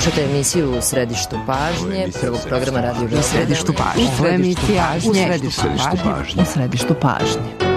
Slušate emisiju U središtu pažnje, prvog programa Radio Beograd. U središtu pažnje. U središtu pažnje.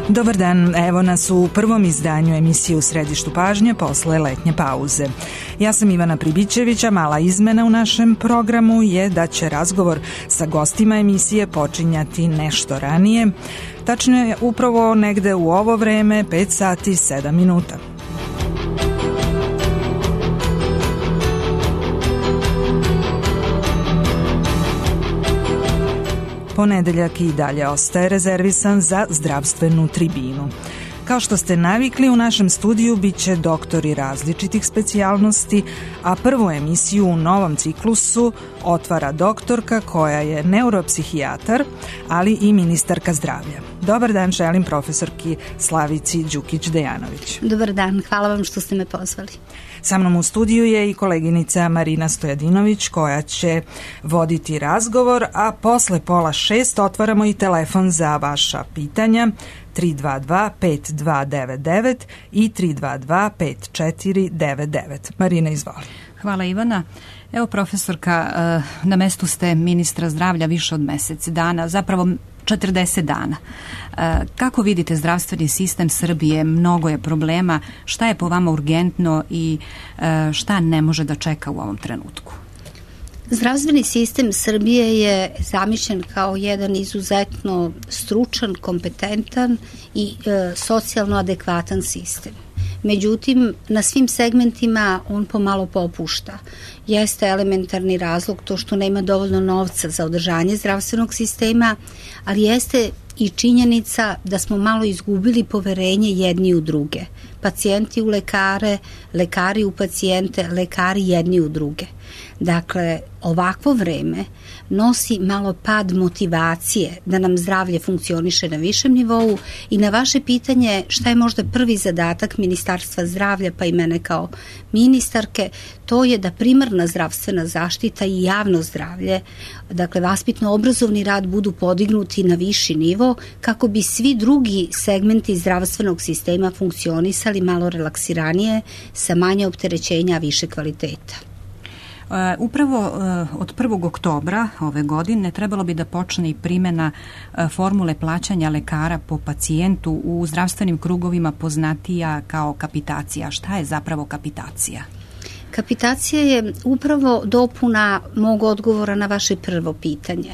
Dobar dan, evo nas u prvom izdanju emisije U središtu pažnje posle letnje pauze. Ja sam Ivana Pribićević, a mala izmena u našem programu je da će razgovor sa gostima emisije počinjati nešto ranije, tačno upravo negde u ovo vreme, 5 sati 7 minuta. Ponedeljak i dalje ostaje rezervisan za zdravstvenu tribinu. Kao što ste navikli, u našem studiju bit će doktori različitih specijalnosti, a prvu emisiju u novom ciklusu otvara doktorka koja je neuropsihijatar, ali i ministarka zdravlja. Dobar dan želim profesorki Slavici Đukić-Dejanović. Dobar dan, hvala vam što ste me pozvali. Sa mnom u studiju je i koleginica Marina Stojadinović koja će voditi razgovor, a posle 5:30 otvaramo i telefon za vaša pitanja 322-5299 i 322-5499. Marina, izvoli. Hvala Ivana. Evo profesorka, na mestu ste ministra zdravlja više od mesec dana, zapravo 40 dana. Kako vidite zdravstveni sistem Srbije? Mnogo je problema. Šta je po vama urgentno i šta ne može da čeka u ovom trenutku? Zdravstveni sistem Srbije je zamišljen kao jedan izuzetno stručan, kompetentan i socijalno adekvatan sistem. Međutim, na svim segmentima on pomalo popušta. Jeste elementarni razlog to što nema dovoljno novca za održanje zdravstvenog sistema, ali jeste i činjenica da smo malo izgubili poverenje jedni u druge. Pacijenti u lekare, lekari u pacijente, lekari jedni u druge. Dakle, ovakvo vreme nosi malo pad motivacije da nam zdravlje funkcioniše na višem nivou i na vaše pitanje šta je možda prvi zadatak Ministarstva zdravlja pa i mene kao ministarke, to je da primarna zdravstvena zaštita i javno zdravlje, dakle vaspitno-obrazovni rad budu podignuti na viši nivo kako bi svi drugi segmenti zdravstvenog sistema funkcionisali malo relaksiranije sa manje opterećenja, više kvaliteta. Upravo od 1. oktobra ove godine trebalo bi da počne i primjena formule plaćanja lekara po pacijentu u zdravstvenim krugovima poznatija kao kapitacija. Šta je zapravo kapitacija? Kapitacija je upravo dopuna mog odgovora na vaše prvo pitanje.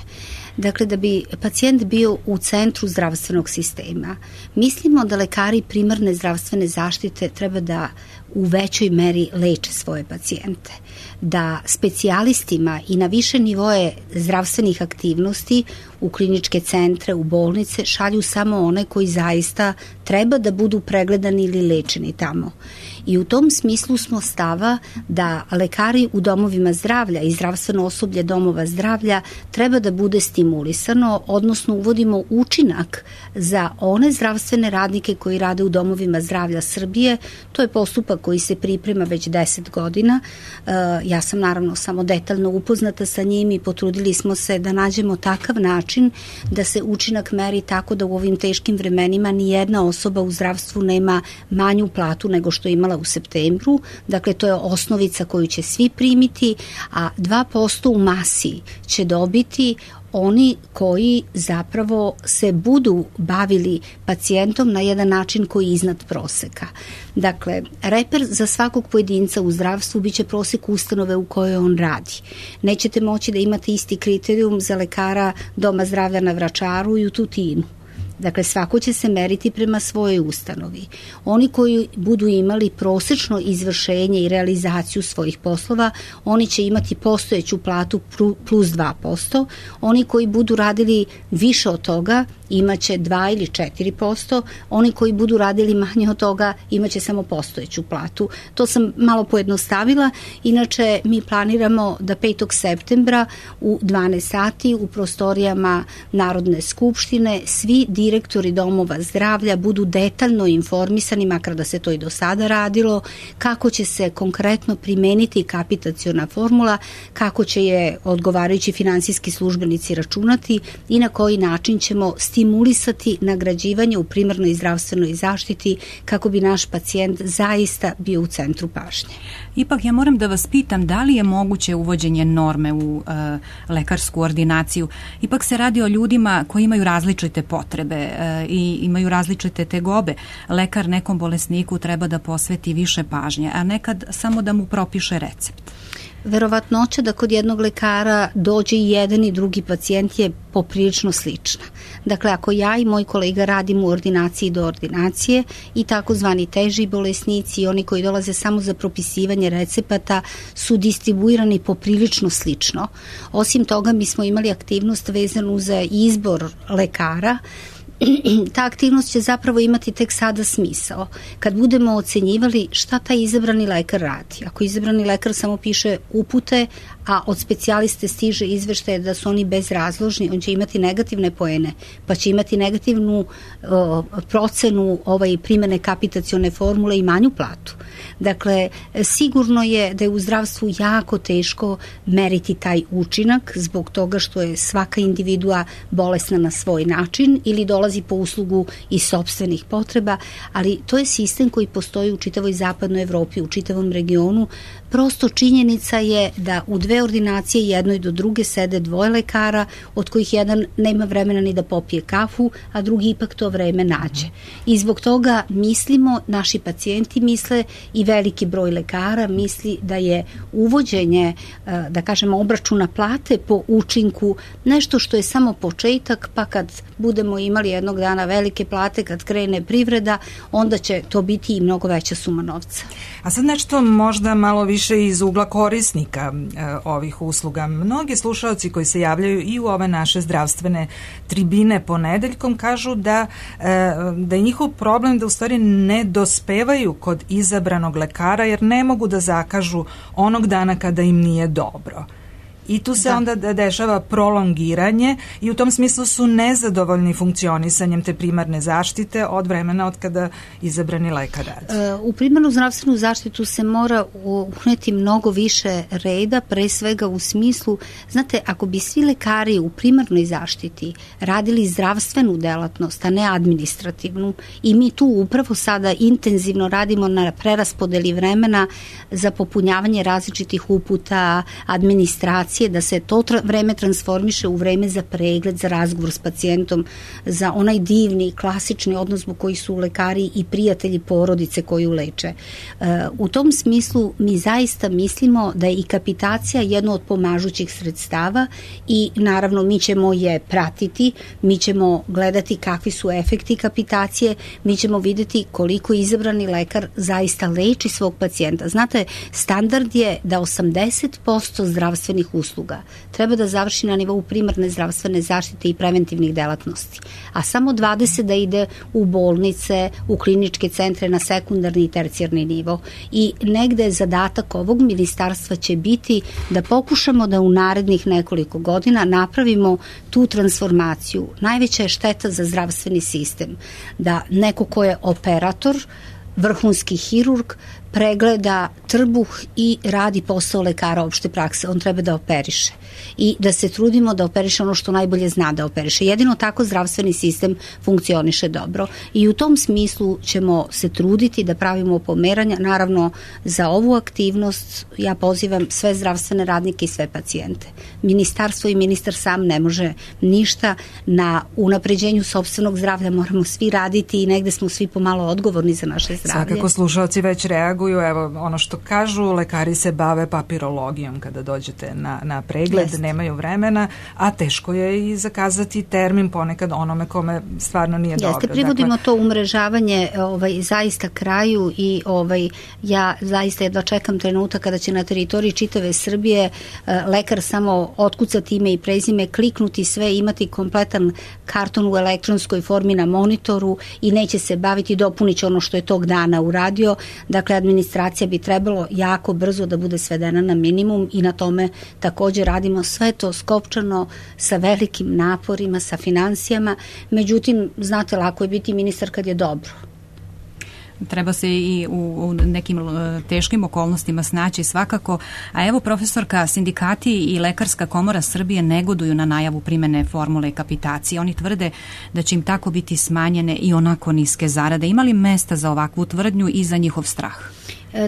Dakle, da bi pacijent bio u centru zdravstvenog sistema. Mislimo da lekari primarne zdravstvene zaštite treba da u većoj meri leče svoje pacijente. Da specijalistima i na više nivoje zdravstvenih aktivnosti u kliničke centre, u bolnice šalju samo one koji zaista treba da budu pregledani ili lečeni tamo. I u tom smislu smo stava da lekari u domovima zdravlja i zdravstveno osoblje domova zdravlja treba da bude stimulisano, odnosno uvodimo učinak za one zdravstvene radnike koji rade u domovima zdravlja Srbije. To je postupak koji se priprema već 10 godina. Ja sam naravno samo detaljno upoznata sa njim i potrudili smo se da nađemo takav način da se učinak meri tako da u ovim teškim vremenima ni jedna osoba u zdravstvu nema manju platu nego što je imala u septembru. Dakle, to je osnovica koju će svi primiti, a 2% u masi će dobiti oni koji zapravo se budu bavili pacijentom na jedan način koji je iznad proseka. Dakle, reper za svakog pojedinca u zdravstvu biće prosek ustanove u kojoj on radi. Nećete moći da imate isti kriterijum za lekara doma zdravlja na Vračaru i u Tutinu. Dakle, svako će se meriti prema svojoj ustanovi. Oni koji budu imali prosečno izvršenje i realizaciju svojih poslova, oni će imati postojeću platu plus 2%. Oni koji budu radili više od toga, imaće 2 ili 4%. Oni koji budu radili manje od toga, imaće samo postojeću platu. To sam malo pojednostavila. Inače, mi planiramo da 5. septembra u 12 sati u prostorijama Narodne skupštine svi direktori domova zdravlja budu detaljno informisani, makar da se to i do sada radilo, kako će se konkretno primeniti kapitaciona formula, kako će je odgovarajući finansijski službenici računati i na koji način ćemo stimulisati nagrađivanje u primarnoj zdravstvenoj zaštiti kako bi naš pacijent zaista bio u centru pažnje. Ipak ja moram da vas pitam da li je moguće uvođenje norme u lekarsku ordinaciju. Ipak se radi o ljudima koji imaju različite potrebe i imaju različite tegobe. Lekar nekom bolesniku treba da posveti više pažnje, a nekad samo da mu propiše recept. Verovatnoća da kod jednog lekara dođe i jedan i drugi pacijent je poprilično slična. Dakle, ako ja i moj kolega radimo u ordinaciji do ordinacije i takozvani teži bolesnici i oni koji dolaze samo za propisivanje recepata su distribuirani poprilično slično. Osim toga, mi smo imali aktivnost vezanu za izbor lekara. Ta aktivnost će zapravo imati tek sada smisao kad budemo ocenjivali šta taj izabrani lekar radi. Ako izabrani lekar samo piše upute, a od specijaliste stiže izveštaje da su oni bezrazložni, on će imati negativne poene, pa će imati negativnu procenu primene kapitacione formule i manju platu. Dakle, sigurno je da je u zdravstvu jako teško meriti taj učinak zbog toga što je svaka individua bolesna na svoj način ili dolazi po uslugu iz sopstvenih potreba, ali to je sistem koji postoji u čitavoj zapadnoj Evropi, u čitavom regionu. Prosto činjenica je da u dve ordinacije jednoj do druge sede dvoje lekara, od kojih jedan nema vremena ni da popije kafu, a drugi ipak to vreme nađe. I zbog toga mislimo, naši pacijenti misle i veliki broj lekara misli da je uvođenje, da kažemo, obračuna plate po učinku nešto što je samo početak, pa kad budemo imali jednog dana velike plate, kad krene privreda, onda će to biti i mnogo veća suma novca. A sad nešto možda malo više iz ugla korisnika ovih usluga. Mnogi slušaoci koji se javljaju i u ove naše zdravstvene tribine ponedeljkom kažu da je njihov problem da u stvari ne dospevaju kod izabranog lekara jer ne mogu da zakažu onog dana kada im nije dobro. I tu se onda dešava prolongiranje i u tom smislu su nezadovoljni funkcionisanjem te primarne zaštite od vremena od kada izabrani lekar radi. U primarnu zdravstvenu zaštitu se mora uneti mnogo više reda, pre svega u smislu, znate, ako bi svi lekari u primarnoj zaštiti radili zdravstvenu delatnost, a ne administrativnu, i mi tu upravo sada intenzivno radimo na preraspodeli vremena za popunjavanje različitih uputa, administracije, da se to vreme transformiše u vreme za pregled, za razgovor s pacijentom, za onaj divni, klasični odnos zbog koji su lekari i prijatelji porodice koju leče. U tom smislu mi zaista mislimo da je i kapitacija jedno od pomažućih sredstava i naravno mi ćemo je pratiti, mi ćemo gledati kakvi su efekti kapitacije, mi ćemo videti koliko izabrani lekar zaista leči svog pacijenta. Znate, standard je da 80% zdravstvenih usluga treba da završi na nivou primarne zdravstvene zaštite i preventivnih delatnosti, a samo 20 da ide u bolnice, u kliničke centre na sekundarni i tercijarni nivo. I negde zadatak ovog ministarstva će biti da pokušamo da u narednih nekoliko godina napravimo tu transformaciju. Najveća je šteta za zdravstveni sistem da neko ko je operator, vrhunski hirurg, pregleda trbuh i radi posao lekara opšte prakse. On treba da operiše i da se trudimo da operiše ono što najbolje zna da operiše. Jedino tako zdravstveni sistem funkcioniše dobro i u tom smislu ćemo se truditi da pravimo pomeranja. Naravno, za ovu aktivnost ja pozivam sve zdravstvene radnike i sve pacijente. Ministarstvo i ministar sam ne može ništa. Na unapređenju sopstvenog zdravlja moramo svi raditi i negde smo svi pomalo odgovorni za naše zdravlje. Svakako slušalci već reaguju reaguju, evo ono što kažu, lekari se bave papirologijom kada dođete na pregled, nemaju vremena, a teško je i zakazati termin ponekad onome kome stvarno nije dobro. Privodimo to umrežavanje zaista kraju i ja zaista jedva čekam trenutak kada će na teritoriji čitave Srbije lekar samo otkucati ime i prezime, kliknuti sve, imati kompletan karton u elektronskoj formi na monitoru i neće se baviti, dopunit će ono što je tog dana uradio. Dakle, administracija bi trebalo jako brzo da bude svedena na minimum i na tome također radimo, sve to skopčano sa velikim naporima, sa financijama. Međutim, znate, lako je biti ministar kad je dobro. Treba se i u nekim teškim okolnostima snaći svakako. A evo, profesorka, sindikati i Lekarska komora Srbije negoduju na najavu primene formule kapitacije. Oni tvrde da će im tako biti smanjene i onako niske zarade. Ima li mesta za ovakvu tvrdnju i za njihov strah?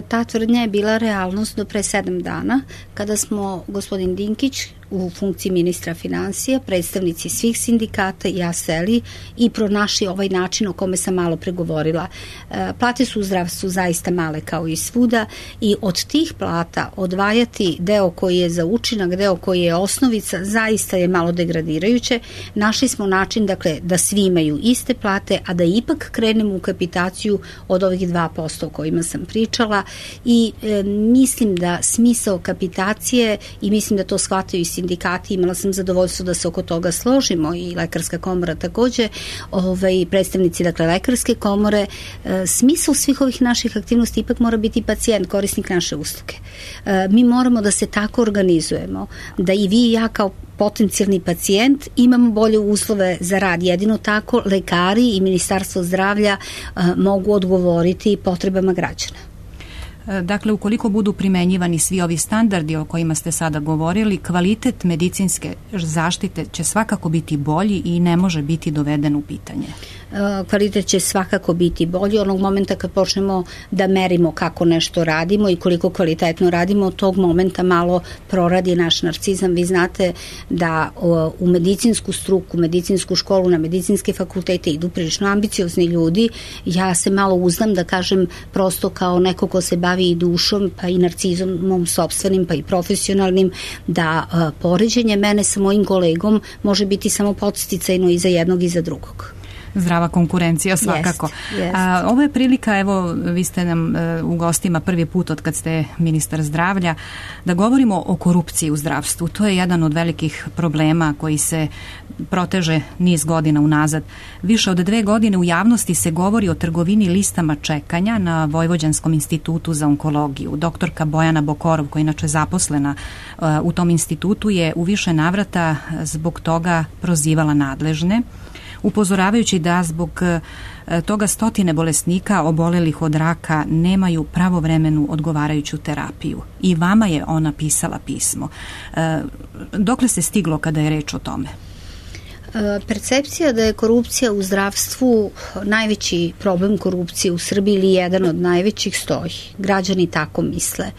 Ta tvrdnja je bila realnost do pre 7 dana, kada smo gospodin Dinkić u funkciji ministra financija, predstavnici svih sindikata i ja seli i pronašli ovaj način o kome sam malo pregovorila. Plate su u zdravstvu zaista male kao i svuda i od tih plata odvajati deo koji je za učinak, deo koji je osnovica, zaista je malo degradirajuće. Našli smo način, dakle, da svi imaju iste plate, a da ipak krenemo u kapitaciju od ovih 2% o kojima sam pričala i mislim da smisao kapitacije, i mislim da to shvataju i sindikati, imala sam zadovoljstvo da se oko toga složimo i Lekarska komora takođe, predstavnici, dakle, Lekarske komore, smisao svih ovih naših aktivnosti ipak mora biti pacijent, korisnik naše usluge. Mi moramo da se tako organizujemo, da i vi i ja kao potencijalni pacijent imamo bolje uslove za rad. Jedino tako lekari i Ministarstvo zdravlja mogu odgovoriti potrebama građana. Dakle, ukoliko budu primenjivani svi ovi standardi o kojima ste sada govorili, kvalitet medicinske zaštite će svakako biti bolji i ne može biti doveden u pitanje. Kvalitet će svakako biti bolji onog momenta kad počnemo da merimo kako nešto radimo i koliko kvalitetno radimo, od tog momenta malo proradi naš narcizam. Vi znate da u medicinsku struku, medicinsku školu, na medicinske fakultete idu prilično ambiciozni ljudi. Ja se malo uzdam da kažem, prosto kao neko ko se bavi i dušom, pa i narcizmom sopstvenim, pa i profesionalnim, da poređenje mene sa mojim kolegom može biti samo podsticajno i za jednog i za drugog. Zdrava konkurencija svakako. Ovo je prilika, evo, vi ste nam u gostima prvi put od kad ste ministar zdravlja, da govorimo o korupciji u zdravstvu. To je jedan od velikih problema koji se proteže niz godina unazad. Više od 2 godine u javnosti se govori o trgovini listama čekanja na Vojvođanskom institutu za onkologiju. Doktorka Bojana Bokorov, koja je inače zaposlena u tom institutu, je u više navrata zbog toga prozivala nadležne, upozoravajući da zbog toga stotine bolesnika obolelih od raka nemaju pravovremenu odgovarajuću terapiju. I vama je ona pisala pismo. Dokle se stiglo kada je reč o tome? Percepcija da je korupcija u zdravstvu najveći problem korupcije u Srbiji ili jedan od najvećih stoji. Građani tako misle.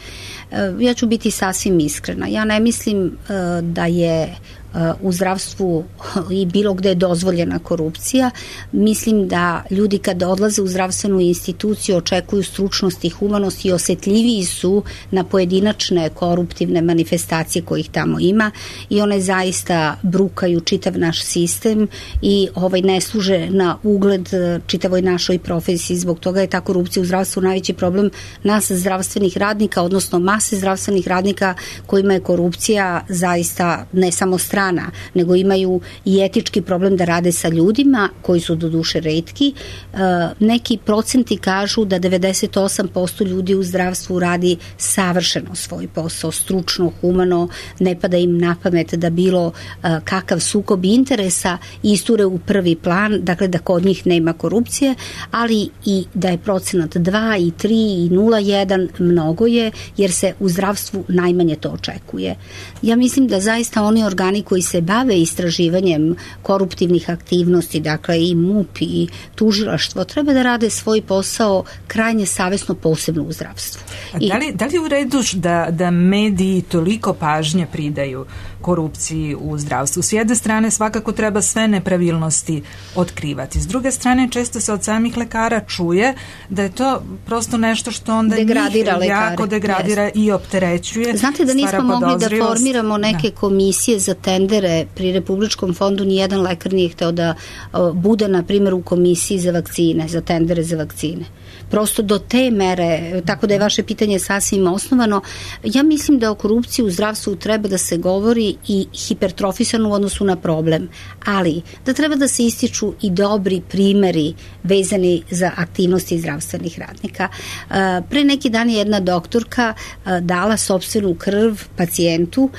Ja ću biti sasvim iskrena. Ja ne mislim da je u zdravstvu i bilo gde je dozvoljena korupcija. Mislim da ljudi kada odlaze u zdravstvenu instituciju očekuju stručnost i humanost i osetljiviji su na pojedinačne koruptivne manifestacije kojih tamo ima i one zaista brukaju čitav naš sistem i ne služe na ugled čitavoj našoj profesiji. Zbog toga je ta korupcija u zdravstvu najveći problem nas zdravstvenih radnika, odnosno mase zdravstvenih radnika kojima je korupcija zaista ne samo strana, nego imaju i etički problem da rade sa ljudima koji su do duše retki. Neki procenti kažu da 98% ljudi u zdravstvu radi savršeno svoj posao, stručno, humano, ne pada im na pamet da bilo kakav sukob interesa isture u prvi plan, dakle da kod njih nema korupcije, ali i da je procenat 2 i 3 i 0,1 mnogo je, jer se u zdravstvu najmanje to očekuje. Ja mislim da zaista oni organi koji se bave istraživanjem koruptivnih aktivnosti, dakle i MUP i tužilaštvo, treba da rade svoj posao krajnje savesno, posebno u zdravstvu. Da li je u redu da mediji toliko pažnje pridaju korupciji u zdravstvu. S jedne strane svakako treba sve nepravilnosti otkrivati. S druge strane često se od samih lekara čuje da je to prosto nešto što onda degradira njih jako degradira i opterećuje. Znate da nismo mogli da formiramo neke komisije za tendere pri Republičkom fondu, nijedan lekar nije hteo da bude, na primjer, u komisiji za vakcine, za tendere za vakcine. Prosto do te mere, tako da je vaše pitanje sasvim osnovano. Ja mislim da o korupciji u zdravstvu treba da se govori i hipertrofisano u odnosu na problem, ali da treba da se ističu i dobri primeri vezani za aktivnosti zdravstvenih radnika. Pre neki dan je jedna doktorka dala sopstvenu krv pacijentu,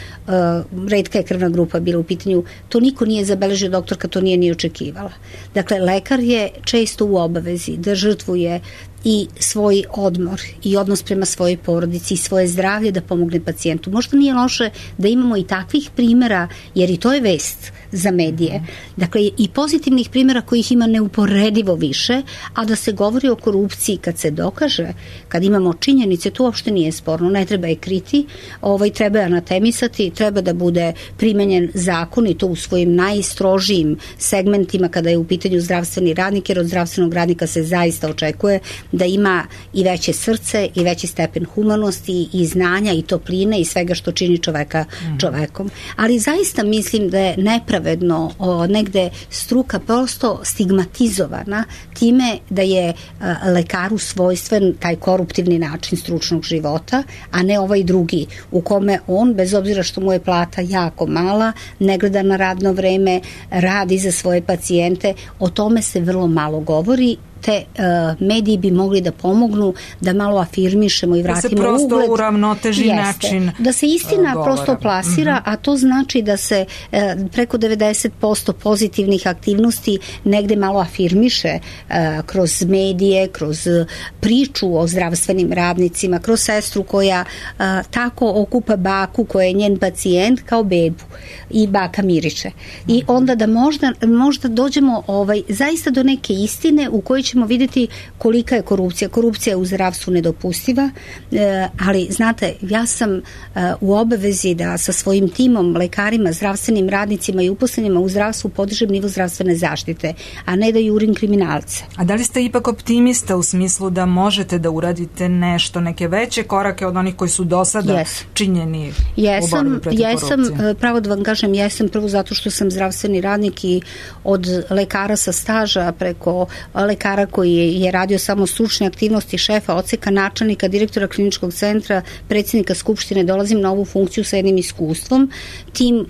retka je krvna grupa bila u pitanju, to niko nije zabeležio, doktorka to nije ni očekivala. Dakle, lekar je često u obavezi da žrtvuje i svoj odmor i odnos prema svojoj porodici i svoje zdravlje da pomogne pacijentu. Možda nije loše da imamo i takvih primjera, jer i to je vest za medije. Dakle, i pozitivnih primjera kojih ima neuporedivo više, a da se govori o korupciji kad se dokaže, kad imamo činjenice, to uopšte nije sporno, ne treba je kriti, treba je anatemisati, treba da bude primenjen zakon i to u svojim najstrožijim segmentima kada je u pitanju zdravstveni radnik, jer od zdravstvenog radnika se zaista očekuje da ima i veće srce i veći stepen humanosti i znanja i topline i svega što čini čoveka čovekom. Ali zaista mislim da je nepravedno negde struka prosto stigmatizovana time da je lekaru svojstven taj koruptivni način stručnog života, a ne ovaj drugi u kome on, bez obzira što mu je plata jako mala, ne gleda na radno vreme, radi za svoje pacijente, o tome se vrlo malo govori. Te mediji bi mogli da pomognu da malo afirmišemo i vratimo ugled. Da se prosto uravnoteži način da se istina govora prosto plasira, a to znači da se preko 90% pozitivnih aktivnosti negde malo afirmiše kroz medije, kroz priču o zdravstvenim radnicima, kroz sestru koja tako okupa baku koja je njen pacijent kao bebu i baka miriče. I onda da možda dođemo zaista do neke istine u kojoj ćemo vidjeti kolika je korupcija. Korupcija je u zdravstvu nedopustiva, ali znate, ja sam u obavezi da sa svojim timom, lekarima, zdravstvenim radnicima i uposlenima u zdravstvu podižem nivo zdravstvene zaštite, a ne da jurim kriminalce. A da li ste ipak optimista u smislu da možete da uradite nešto, neke veće korake od onih koji su do sada činjeni u borbi protiv korupcije? Jesam, pravo da vam kažem, jesam, prvo zato što sam zdravstveni radnik i od lekara sa staža preko lekara koji je radio samo stručne aktivnosti, šefa odseka, načelnika, direktora kliničkog centra, predsjednika skupštine, dolazim na ovu funkciju sa jednim iskustvom. Tim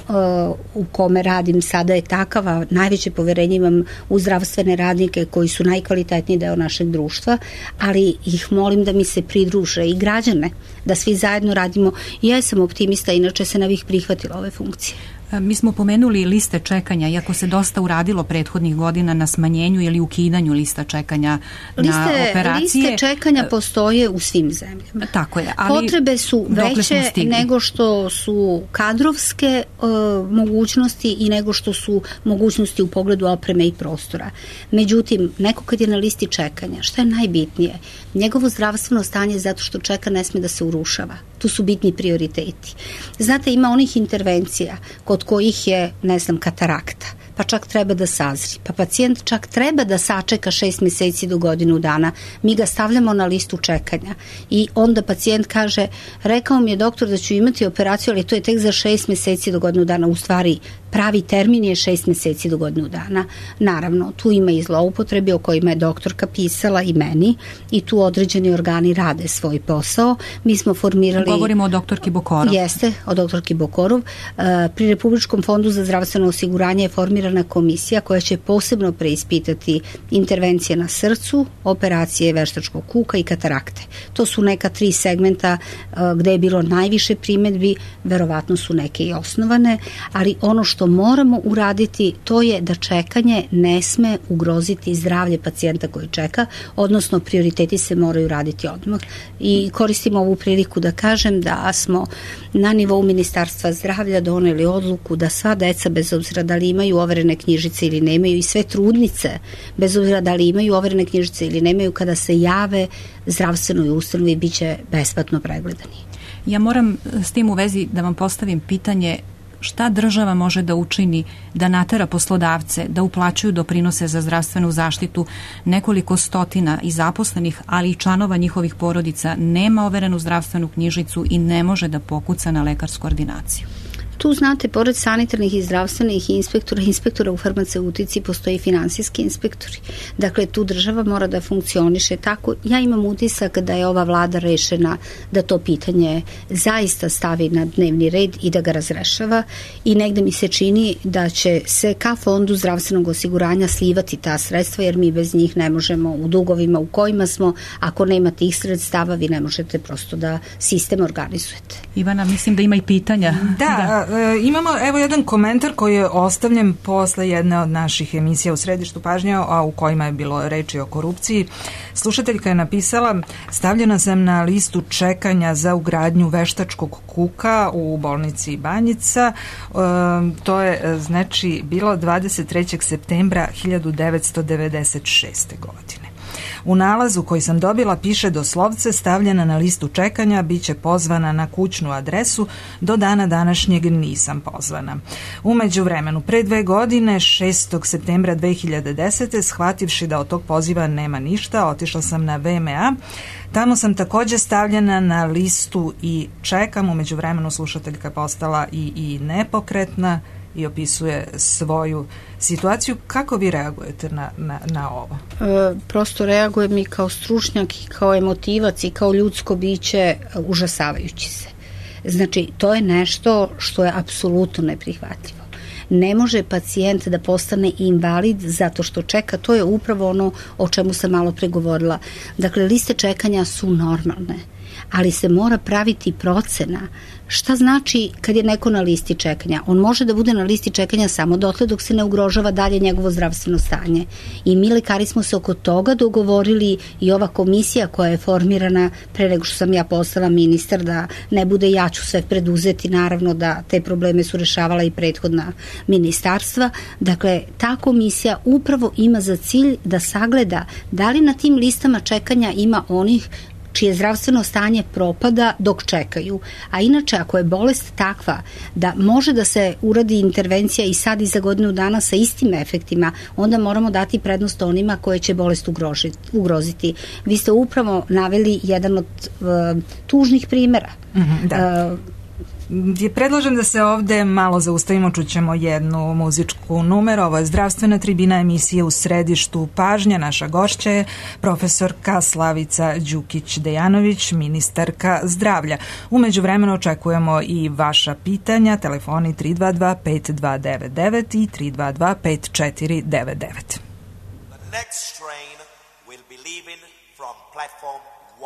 u kome radim sada je takav, a najveće poverenje imam u zdravstvene radnike koji su najkvalitetniji deo našeg društva, ali ih molim da mi se pridruže i građane, da svi zajedno radimo. Ja sam optimista, inače se ne bih prihvatila ove funkcije. Mi smo pomenuli liste čekanja, iako se dosta uradilo prethodnih godina na smanjenju ili ukidanju lista čekanja na operacije. Liste čekanja postoje u svim zemljama. Tako je. Ali potrebe su veće nego što su kadrovske mogućnosti i nego što su mogućnosti u pogledu opreme i prostora. Međutim, neko kad je na listi čekanja, šta je najbitnije? Njegovo zdravstveno stanje zato što čeka ne sme da se urušava. Tu su bitni prioriteti. Znate, ima onih intervencija kod kojih je, katarakta, pa čak treba da sazri, pa pacijent čak treba da sačeka 6 meseci do godinu dana. Mi ga stavljamo na listu čekanja i onda pacijent kaže, rekao mi je doktor da ću imati operaciju, ali to je tek za 6 meseci do godinu dana. U stvari, pravi termin je 6 meseci do godinu dana. Naravno, tu ima i zloupotrebe o kojima je doktorka pisala i meni i tu određeni organi rade svoj posao. Mi smo formirali... Govorimo o doktorki Bokorov. Jeste, o doktorki Bokorov. Pri Republičkom fondu za zdravstveno osiguranje je formirana komisija koja će posebno preispitati intervencije na srcu, operacije veštačkog kuka i katarakte. To su neka 3 segmenta gde je bilo najviše primedbi, verovatno su neke i osnovane, ali ono što moramo uraditi to je da čekanje ne sme ugroziti zdravlje pacijenta koji čeka, odnosno prioriteti se moraju raditi odmah. I koristim ovu priliku da kažem da smo na nivou Ministarstva zdravlja doneli odluku da sva deca, bez obzira da li imaju overene knjižice ili nemaju, i sve trudnice, bez obzira da li imaju overene knjižice ili nemaju, kada se jave zdravstvenoj ustanovi biće besplatno pregledani. Ja moram s tim u vezi da vam postavim pitanje šta država može da učini da natera poslodavce da uplaćuju doprinose za zdravstvenu zaštitu nekoliko stotina i zaposlenih, ali i članova njihovih porodica nema overenu zdravstvenu knjižicu i ne može da pokuca na lekarsku ordinaciju? Tu, znate, pored sanitarnih i zdravstvenih inspektora u farmaceutici postoji i finansijski inspektori. Dakle, tu država mora da funkcioniše tako. Ja imam utisak da je ova vlada rešena da to pitanje zaista stavi na dnevni red i da ga razrešava i negde mi se čini da će se ka fondu zdravstvenog osiguranja slivati ta sredstva, jer mi bez njih ne možemo u dugovima u kojima smo. Ako nema tih sredstava, vi ne možete prosto da sistem organizujete. Ivana, mislim da ima i pitanja. Da. Imamo evo jedan komentar koji je ostavljen posle jedne od naših emisija u središtu pažnje, a u kojima je bilo reči o korupciji. Slušateljka je napisala: stavljena sam na listu čekanja za ugradnju veštačkog kuka u bolnici Banjica. To je znači bilo 23. septembra 1996. godine. U nalazu koji sam dobila piše doslovce: stavljena na listu čekanja, bit će pozvana na kućnu adresu, do dana današnjeg nisam pozvana. U međuvremenu, pre 2 godine, 6. septembra 2010. shvativši da od tog poziva nema ništa, otišla sam na VMA. Tamo sam takođe stavljena na listu i čekam. U međuvremenu slušateljka je postala i nepokretna i opisuje svoju situaciju. Kako vi reagujete na ovo? Prosto reagujem i kao stručnjak i kao emotivac i kao ljudsko biće užasavajući se. Znači, to je nešto što je apsolutno neprihvatljivo. Ne može pacijent da postane invalid zato što čeka, to je upravo ono o čemu sam malo pregovorila. Dakle, liste čekanja su normalne, ali se mora praviti procena. Šta znači kad je neko na listi čekanja? On može da bude na listi čekanja samo dotle dok se ne ugrožava dalje njegovo zdravstveno stanje. I mi lekari smo se oko toga dogovorili i ova komisija koja je formirana pre nego što sam ja postala ministar, da ne bude ja ću sve preduzeti, naravno da te probleme su rešavala i prethodna ministarstva. Dakle, ta komisija upravo ima za cilj da sagleda da li na tim listama čekanja ima onih čije zdravstveno stanje propada dok čekaju. A inače, ako je bolest takva da može da se uradi intervencija i sad i za godinu dana sa istim efektima, onda moramo dati prednost onima koje će bolest ugroziti. Vi ste upravo naveli jedan od tužnih primera. Da. Predlažem da se ovde malo zaustavimo, čućemo jednu muzičku numeru. Ovo je zdravstvena tribina, emisije u središtu pažnja. Naša gošća je profesorka Slavica Đukić-Dejanović, ministarka zdravlja. U međuvremenu očekujemo i vaša pitanja. Telefoni 322-5299 i 322-5499. The next train will be leaving from platform 1.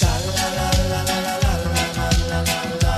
La la la la la la la la la.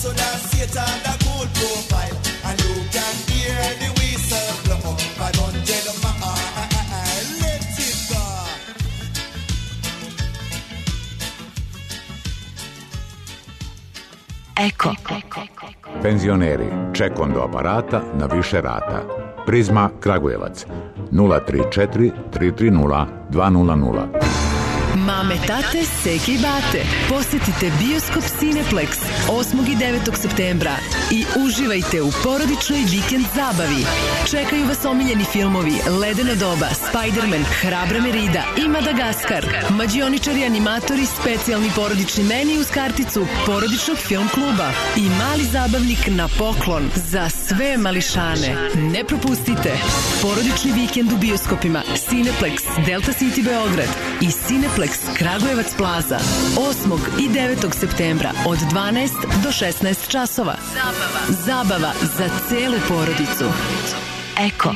so that Satan a cool profile, and you can hear the whistle blow. 500 miles, let it go. Eko. Penzioneri, čekondo aparata na više rata. Prizma Kragujevac 034 330 200. Mame, tate, seke i bate, posetite Bioskop Cineplex 8. i 9. septembra i uživajte u porodičnoj vikend zabavi. Čekaju vas omiljeni filmovi Ledeno doba, Spider-Man, Hrabra Merida i Madagaskar. Mađioničari, animatori, specijalni porodični meni uz karticu porodičnog film kluba i mali zabavnik na poklon za sve mališane. Ne propustite porodični vikend u bioskopima Cineplex Delta City Beograd i Cineplex Kragujevac Plaza 8. i 9. septembra od 12 do 16 časova. Zabava za celu porodicu. Eko.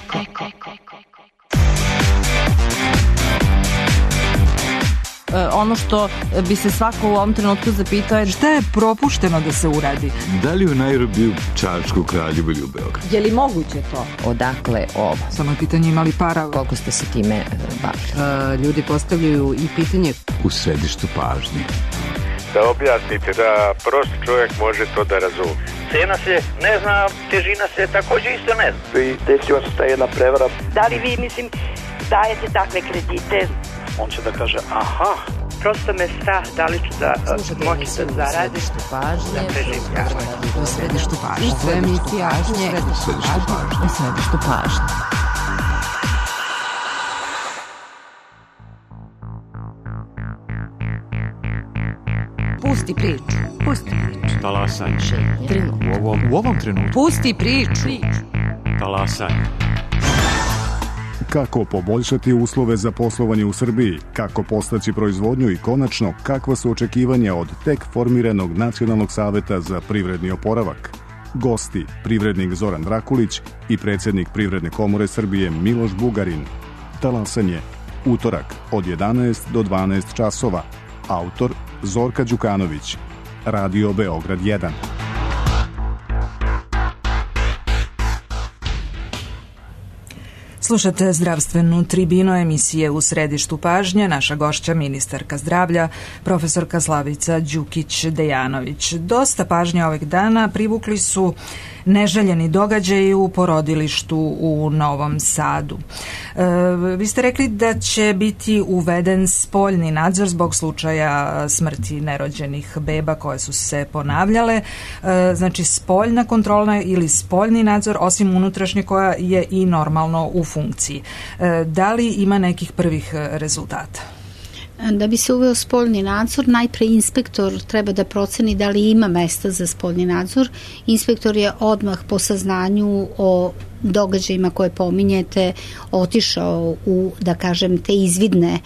Ono što bi se svako u ovom trenutku zapitao je šta je propušteno da se uradi? Da li u Nairobiju, Čačku, Kraljevu ili u Beogradu? Je li moguće to? Odakle ovo? Samo je pitanje imali para. Koliko ste se time bavili? Ljudi postavljaju i pitanje u središtu pažnje. Da objasnite, da prost čovjek može to da razumije. Cena se ne zna, težina se također isto ne zna. I desila se ta jedna prevara. Da li vi, dajete takve kredite? On će da kaže, aha. Prosto me strah da li ću da moći da zaradim. U središtu pažnje. U središtu pažnje. U središtu pažnje. Pusti priču. Talasanje. U ovom trenutku. Pusti priču. Talasanje. Kako poboljšati uslove za poslovanje u Srbiji, kako postaći proizvodnju i konačno kakva su očekivanja od tek formiranog Nacionalnog saveta za privredni oporavak. Gosti, privrednik Zoran Drakulić i predsjednik Privredne komore Srbije Miloš Bugarin. Talasanje, utorak od 11 do 12 časova. Autor Zorka Đukanović. Radio Beograd 1. Slušate zdravstvenu tribinu emisije U središtu pažnje. Naša gošća, ministarka zdravlja, profesorka Slavica Đukić-Dejanović. Dosta pažnje ovih dana privukli su neželjeni događaji u porodilištu u Novom Sadu. Vi ste rekli da će biti uveden spoljni nadzor zbog slučaja smrti nerođenih beba koje su se ponavljale. Znači spoljna kontrola ili spoljni nadzor osim unutrašnje koja je i normalno u funkciji. Da li ima nekih prvih rezultata? Da bi se uveo spoljni nadzor, najpre inspektor treba da proceni da li ima mesta za spoljni nadzor. Inspektor je odmah po saznanju o događajima koje pominjete otišao u, da kažem, te izvidne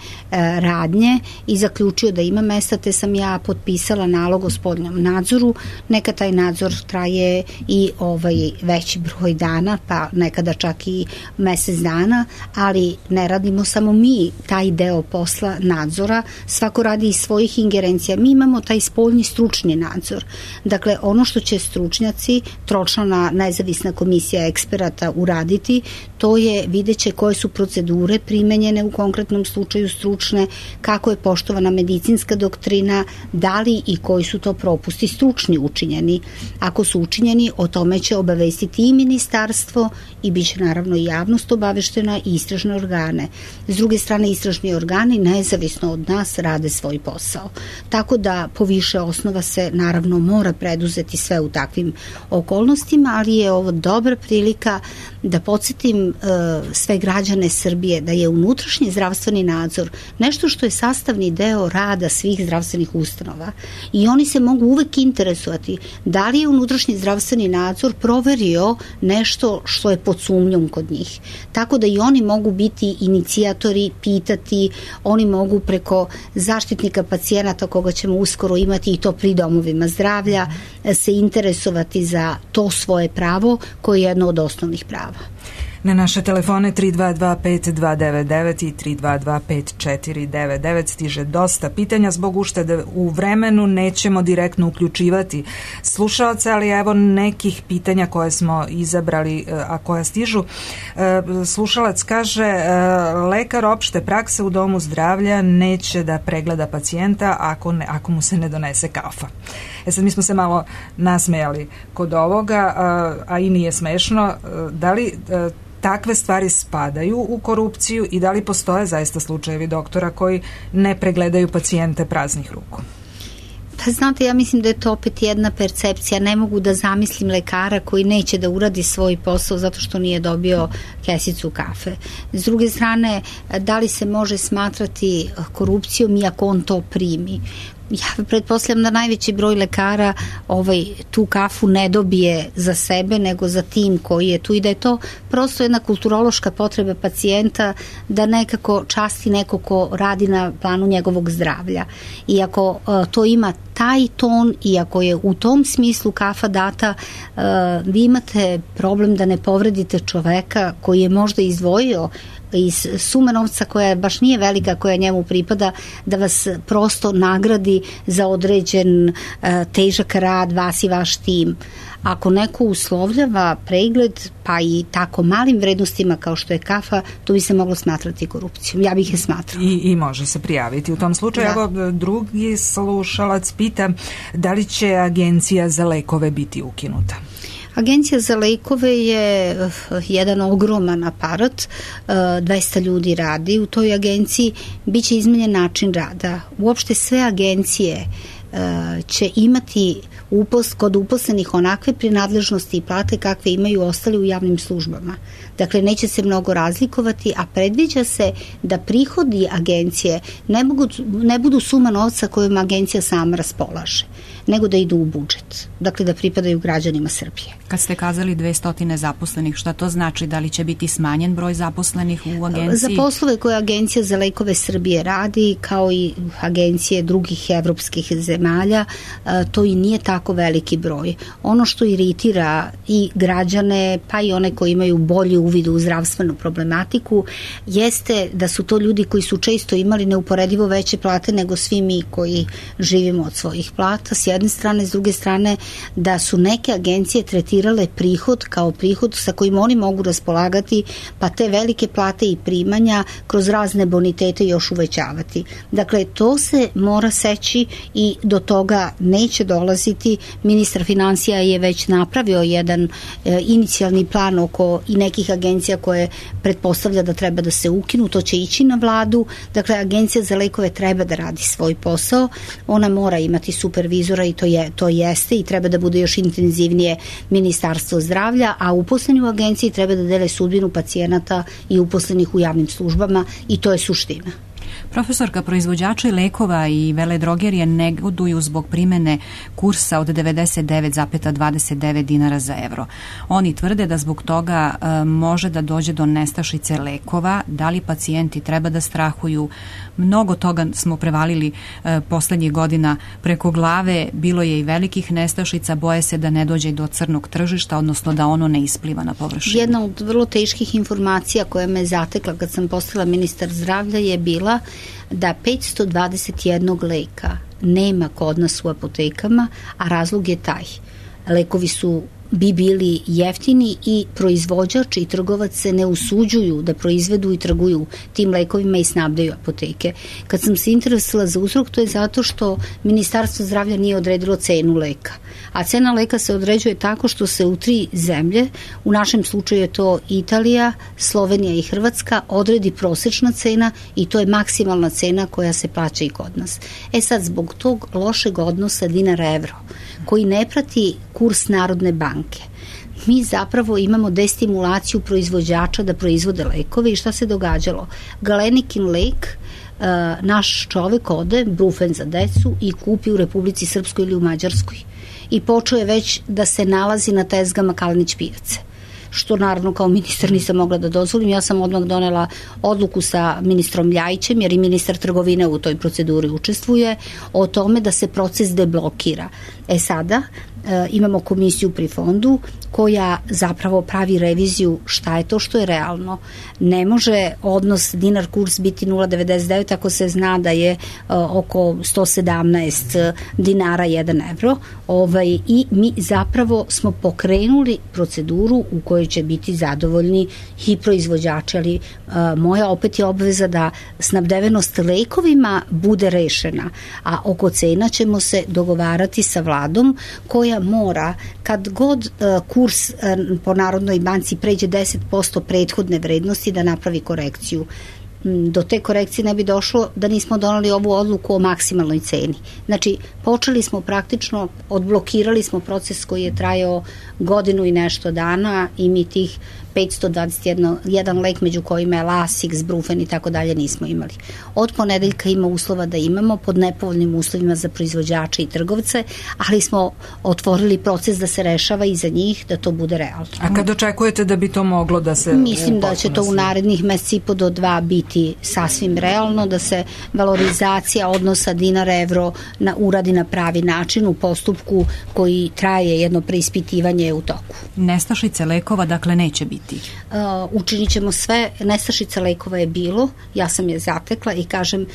radnje i zaključio da ima mesta, te sam ja potpisala nalog o spoljnom nadzoru. Neka taj nadzor traje i veći broj dana, pa nekada čak i mesec dana, ali ne radimo samo mi taj deo posla nadzora, svako radi iz svojih ingerencija. Mi imamo taj spoljni stručni nadzor. Dakle, ono što će stručnjaci, tročlana nezavisna komisija eksperata uraditi, to je vidjet će koje su procedure primenjene u konkretnom slučaju stručne, kako je poštovana medicinska doktrina, da li i koji su to propusti stručni učinjeni. Ako su učinjeni, o tome će obavestiti i ministarstvo i bit će naravno i javnost obaveštena i istražne organe. S druge strane, istražni organi nezavisno od nas rade svoj posao. Tako da po više osnova se naravno mora preduzeti sve u takvim okolnostima, ali je ovo dobra prilika da podsjetim sve građane Srbije da je unutrašnji zdravstveni nadzor nešto što je sastavni deo rada svih zdravstvenih ustanova i oni se mogu uvek interesovati da li je unutrašnji zdravstveni nadzor proverio nešto što je pod sumnjom kod njih. Tako da i oni mogu biti inicijatori, pitati, oni mogu preko zaštitnika pacijenata koga ćemo uskoro imati i to pri domovima zdravlja se interesovati za to svoje pravo koje je jedno od osnovnih prava. Na naše telefone 322-5299 i 322-5499 stiže dosta pitanja. Zbog uštede u vremenu nećemo direktno uključivati slušaoce, ali evo nekih pitanja koje smo izabrali, a koja stižu. Slušalac kaže, lekar opšte prakse u domu zdravlja neće da pregleda pacijenta ako mu se ne donese kafa. Sad mi smo se malo nasmejali kod ovoga, a i nije smešno. Da li takve stvari spadaju u korupciju i da li postoje zaista slučajevi doktora koji ne pregledaju pacijente praznih ruku? Pa znate, ja mislim da je to opet jedna percepcija. Ne mogu da zamislim lekara koji neće da uradi svoj posao zato što nije dobio kesicu kafe. S druge strane, da li se može smatrati korupcijom iako on to primi? Ja pretpostavljam da najveći broj lekara tu kafu ne dobije za sebe, nego za tim koji je tu i da je to prosto jedna kulturološka potreba pacijenta da nekako časti neko ko radi na planu njegovog zdravlja. I ako to ima taj ton i ako je u tom smislu kafa data, vi imate problem da ne povredite čoveka koji je možda izdvojio iz sume novca koja baš nije velika, koja njemu pripada, da vas prosto nagradi za određen težak rad, vas i vaš tim. Ako neko uslovljava pregled, pa i tako malim vrednostima kao što je kafa, to bi se moglo smatrati korupcijom. Ja bih je smatrala. I može se prijaviti u tom slučaju. Evo, drugi slušalac pita da li će Agencija za lekove biti ukinuta? Agencija za lekove je jedan ogroman aparat, 200 ljudi radi u toj agenciji, bit će izmenjen način rada. Uopšte sve agencije će imati kod uposlenih onakve prinadležnosti i plate kakve imaju ostali u javnim službama. Dakle, neće se mnogo razlikovati, a predviđa se da prihodi agencije ne budu suma novca kojom agencija sama raspolaže, nego da idu u budžet. Dakle, da pripadaju građanima Srbije. Kad ste kazali 200 zaposlenih, šta to znači? Da li će biti smanjen broj zaposlenih u agenciji? Za poslove koje Agencija za lekove Srbije radi, kao i agencije drugih evropskih zemalja, to i nije tako veliki broj. Ono što iritira i građane, pa i one koji imaju bolji uvid u zdravstvenu problematiku, jeste da su to ljudi koji su često imali neuporedivo veće plate nego svi mi koji živimo od svojih plata, s jedne strane, s druge strane da su neke agencije tretirale prihod kao prihod sa kojim oni mogu raspolagati, pa te velike plate i primanja kroz razne bonitete još uvećavati. Dakle, to se mora seći i do toga neće dolaziti. Ministar finansija je već napravio jedan inicijalni plan oko i nekih agencija koje pretpostavlja da treba da se ukinu, to će ići na vladu. Dakle, Agencija za lekove treba da radi svoj posao, ona mora imati supervizora i to jeste i treba da bude još intenzivnije Ministarstvo zdravlja, a uposleni u agenciji treba da dele sudbinu pacijenata i uposlenih u javnim službama i to je suština. Profesorka, proizvođači lekova i veledrogerije negoduju zbog primene kursa od 99,29 dinara za evro. Oni tvrde da zbog toga može da dođe do nestašice lekova. Da li pacijenti treba da strahuju? Mnogo toga smo prevalili poslednjih godina preko glave. Bilo je i velikih nestašica. Boje se da ne dođe do crnog tržišta, odnosno da ono ne ispliva na površinu. Jedna od vrlo teških informacija koja me zatekla kad sam postala ministar zdravlja je bila da 521 leka nema kod nas u apotekama, a razlog je taj. Lekovi bi bili jeftini i proizvođač i trgovac se ne usuđuju da proizvedu i trguju tim lekovima i snabdaju apoteke. Kad sam se interesovala za uzrok, to je zato što Ministarstvo zdravlja nije odredilo cenu leka. A cena leka se određuje tako što se u 3 zemlje, u našem slučaju je to Italija, Slovenija i Hrvatska, odredi prosečna cena i to je maksimalna cena koja se plaća i kod nas. Sad, zbog tog lošeg odnosa dinar-evro, koji ne prati kurs Narodne banke, mi zapravo imamo destimulaciju proizvođača da proizvode lekove i šta se događalo? Galenikin lek, naš čovek ode, Brufen za decu, i kupi u Republici Srpskoj ili u Mađarskoj i počeo je već da se nalazi na tezgama Kalenić pijace. što naravno kao ministar nisam mogla da dozvolim. Ja sam odmah donela odluku sa ministrom Ljajićem, jer i ministar trgovine u toj proceduri učestvuje, o tome da se proces deblokira. Sada imamo komisiju pri fondu koja zapravo pravi reviziju šta je to što je realno. Ne može odnos dinar-kurs biti 0,99 ako se zna da je oko 117 dinara 1 evro. I mi zapravo smo pokrenuli proceduru u kojoj će biti zadovoljni i proizvođači, ali moja opet je obaveza da snabdevenost lekovima bude rešena, a oko cena ćemo se dogovarati sa vladom koja mora, kad god kurs po Narodnoj banci pređe 10% prethodne vrednosti, da napravi korekciju. Do te korekcije ne bi došlo da nismo doneli ovu odluku o maksimalnoj ceni. Znači, počeli smo praktično, odblokirali smo proces koji je trajao godinu i nešto dana i mi tih 521 lek među kojima je Lasix, Brufen i tako dalje nismo imali. Od ponedeljka ima uslova da imamo pod nepovoljnim uslovima za proizvođače i trgovce, ali smo otvorili proces da se rešava i za njih, da to bude realno. A kad očekujete da bi to moglo da se... Mislim da će to u narednih meseci i po do 2 biti sasvim realno, da se valorizacija odnosa dinar-evro uradi na pravi način u postupku koji traje, jedno preispitivanje u toku. Nestašice lekova, dakle, neće biti? Učinit ćemo sve. Nestašica lekova je bilo, ja sam je zatekla i kažem,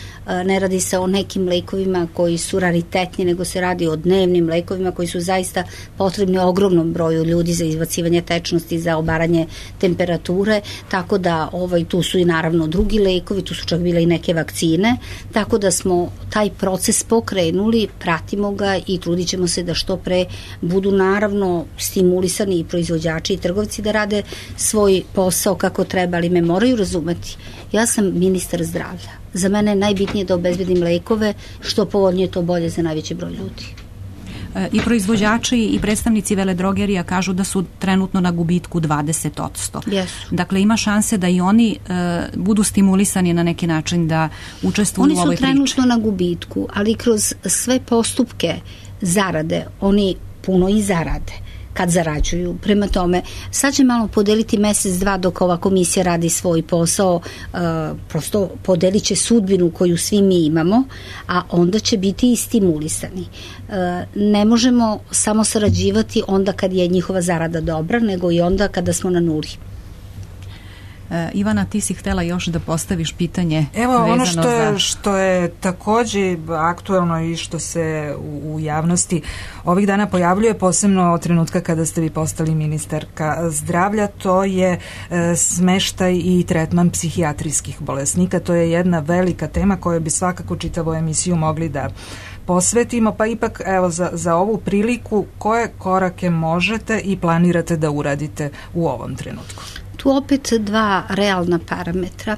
ne radi se o nekim lekovima koji su raritetni, nego se radi o dnevnim lekovima koji su zaista potrebni ogromnom broju ljudi za izbacivanje tečnosti, za obaranje temperature, tako da tu su i naravno drugi lekovi, tu su čak bile i neke vakcine, tako da smo taj proces pokrenuli, pratimo ga i trudit ćemo se da što pre budu naravno stimulisani i proizvođači i trgovci da rade svoj posao kako treba, ali me moraju razumeti. Ja sam ministar zdravlja. Za mene je najbitnije da obezbedim lekove, što povoljnije to bolje za najveći broj ljudi. I proizvođači i predstavnici veledrogerija kažu da su trenutno na gubitku 20%. Yes. Dakle, ima šanse da i oni budu stimulisani na neki način da učestvuju u ovoj priči. Oni su trenutno na gubitku, ali kroz sve postupke zarade, oni puno i zarade kad zarađuju. Prema tome, sad će malo podeliti mesec, dva dok ova komisija radi svoj posao, prosto podelit će sudbinu koju svi mi imamo, a onda će biti i stimulisani. Ne možemo samo sarađivati onda kad je njihova zarada dobra, nego i onda kada smo na nuli. Ivana, ti si htela još da postaviš pitanje. Evo, ono što je takođe aktuelno i što se u javnosti ovih dana pojavljuje, posebno od trenutka kada ste vi postali ministarka zdravlja, to je smeštaj i tretman psihijatrijskih bolesnika. To je jedna velika tema koju bi svakako čitavu emisiju mogli da posvetimo, pa ipak evo za ovu priliku koje korake možete i planirate da uradite u ovom trenutku? Tu opet dva realna parametra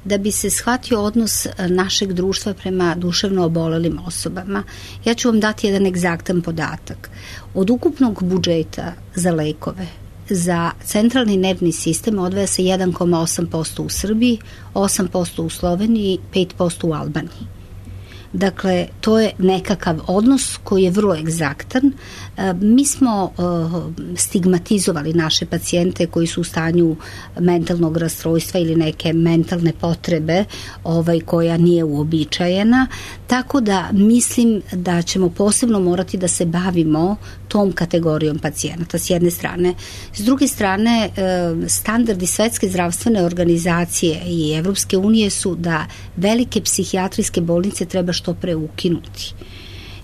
da bi se shvatio odnos našeg društva prema duševno obolelim osobama. Ja ću vam dati jedan egzaktan podatak. Od ukupnog budžeta za lekove za centralni nervni sistem odvaja se 1,8% u Srbiji, 8% u Sloveniji, 5% u Albaniji. Dakle, to je nekakav odnos koji je vrlo egzaktan. Mi smo stigmatizovali naše pacijente koji su u stanju mentalnog rastrojstva ili neke mentalne potrebe koja nije uobičajena, tako da mislim da ćemo posebno morati da se bavimo tom kategorijom pacijenata s jedne strane. S druge strane, standardi Svetske zdravstvene organizacije i Evropske unije su da velike psihijatrijske bolnice treba što pre ukinuti.